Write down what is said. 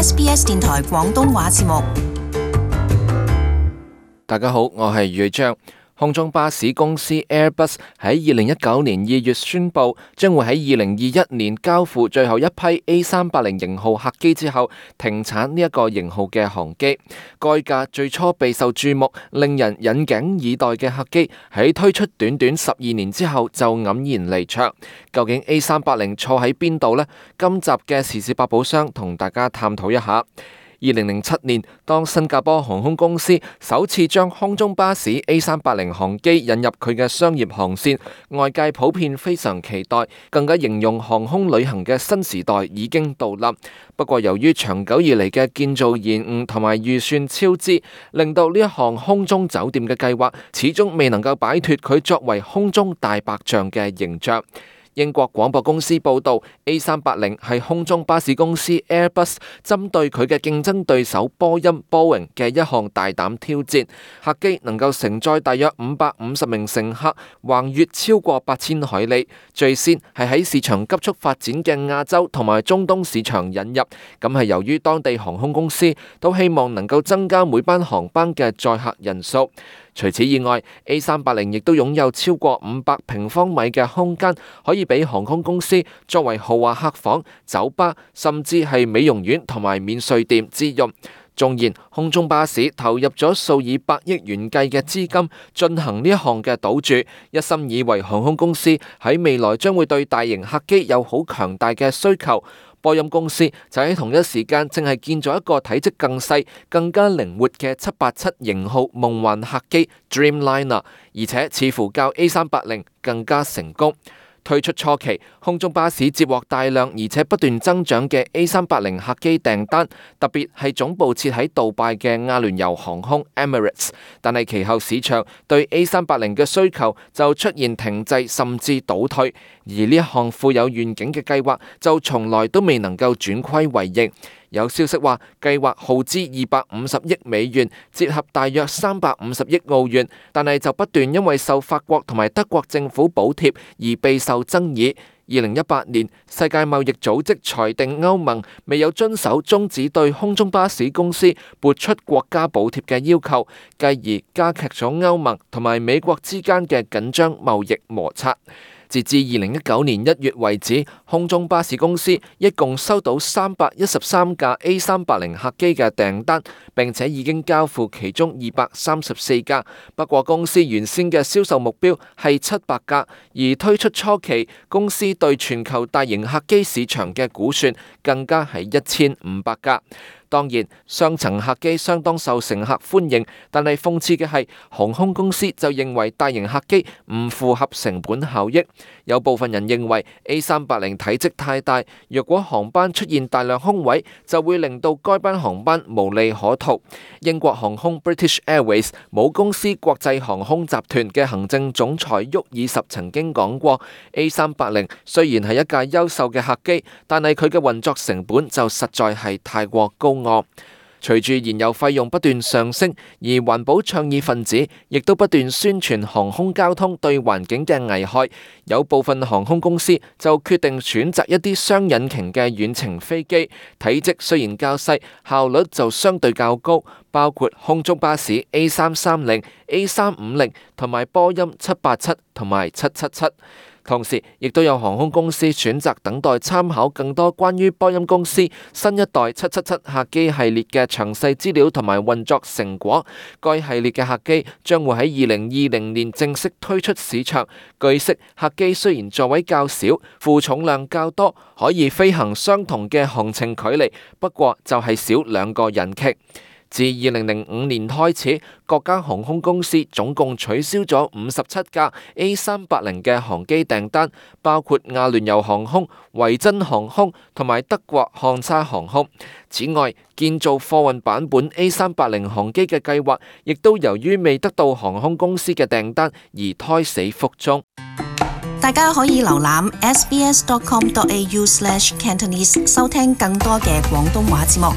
SBS 電台廣東話節目。大家好，我係余章。空中巴士公司 Airbus 喺2019年2月宣布，將會喺2021年交付最後一批 A380 型號客機之後，停產呢一個型號嘅航機。該架最初備受注目、令人引頸以待嘅客機，喺推出短短12年之後就黯然離場。究竟 A380 錯喺邊度呢？今集嘅時事百寶箱同大家探討一下。2007年，當新加坡航空公司首次將空中巴士 A380 航機引入佢嘅商業航線，外界普遍非常期待，更加形容航空旅行嘅新時代已經到臨。不過由於長久以嚟嘅建造延誤同埋預算超支，令到呢一項空中酒店嘅計劃始終未能夠擺脫佢作為空中大白象嘅形象。英國廣播公司報道 ，A380 係空中巴士公司 Airbus 針對佢嘅競爭對手波音 Boeing 嘅一項大膽挑戰。客機能夠承載大約550名乘客，橫越超過8000海里。最先係喺市場急速發展嘅亞洲同埋中東市場引入，咁係由於當地航空公司都希望能夠增加每班航班嘅載客人數。除此以外 ，A380 亦都擁有超過500平方米嘅空間，可以俾航空公司作為豪華客房、酒吧，甚至係美容院同埋免稅店之用。縱然空中巴士投入咗數以百億元計嘅資金進行呢一項嘅賭注，一心以為航空公司喺未來將會對大型客機有好強大嘅需求。波音公司就喺同一時間正係建咗一個體積更細、更加靈活嘅787型號夢幻客機 Dreamliner， 而且似乎較 A380 更加成功。推出初期，空中巴士接獲大量而且不斷增長嘅 A380 客機訂單，特別係總部設喺杜拜嘅阿聯酋航空 Emirates。但係其後市場對 A380 嘅需求就出現停滯甚至倒退，而呢一項富有願景嘅計劃就從來都未能夠轉虧為盈。有消息話，計劃耗資250億美元，折合大約350億澳元，但係就不斷因為受法國同埋德國政府補貼而備受爭議。2018年，世界貿易組織裁定歐盟未有遵守終止對空中巴士公司撥出國家補貼嘅要求，繼而加劇咗歐盟同埋美國之間嘅緊張貿易摩擦。截至2019年1月為止，空中巴士公司一共收到313架 A380 客機嘅訂單，並且已經交付其中234架。不過公司原先嘅銷售目標係700架，而推出初期，公司對全球大型客機市場嘅估算更加係1500架。當然，雙層客機相當受乘客歡迎，但係諷刺嘅係，航空公司就認為大型客機唔符合成本效益。有部分人認為 A380 體積太大，若果航班出現大量空位，就會令到該班航班無利可圖。英國航空 British Airways 母公司國際航空集團嘅行政總裁沃爾什曾經講過 ，A380 雖然係一架優秀嘅客機，但係佢嘅運作成本就實在係太過高。隨住燃油費用不斷上升，而環保倡議分子亦都不斷宣傳航空交通對環境嘅危害，有部分航空公司就決定選擇一啲雙引擎嘅遠程飛機，體積雖然較細，效率就相對較高，包括空中巴士 A330、A350 同埋波音787同埋777。同時，亦都有航空公司選擇等待參考更多關於波音公司新一代777客機系列嘅詳細資料同埋運作成果。該系列嘅客機將會喺2020年正式推出市場。據悉，客機雖然座位較少，負重量較多，可以飛行相同嘅航程距離，不過就係少2個引擎。自2005年開始，各家航空公司總共取消咗57架 A380 嘅航機訂單，包括阿聯酋航空、維珍航空同埋德國漢莎航空。此外，建造貨運版本 A380 航機嘅計劃，亦都由於未得到航空公司嘅訂單而胎死腹中。大家可以瀏覽 sbs.com.au/cantonese 收聽更多嘅廣東話節目。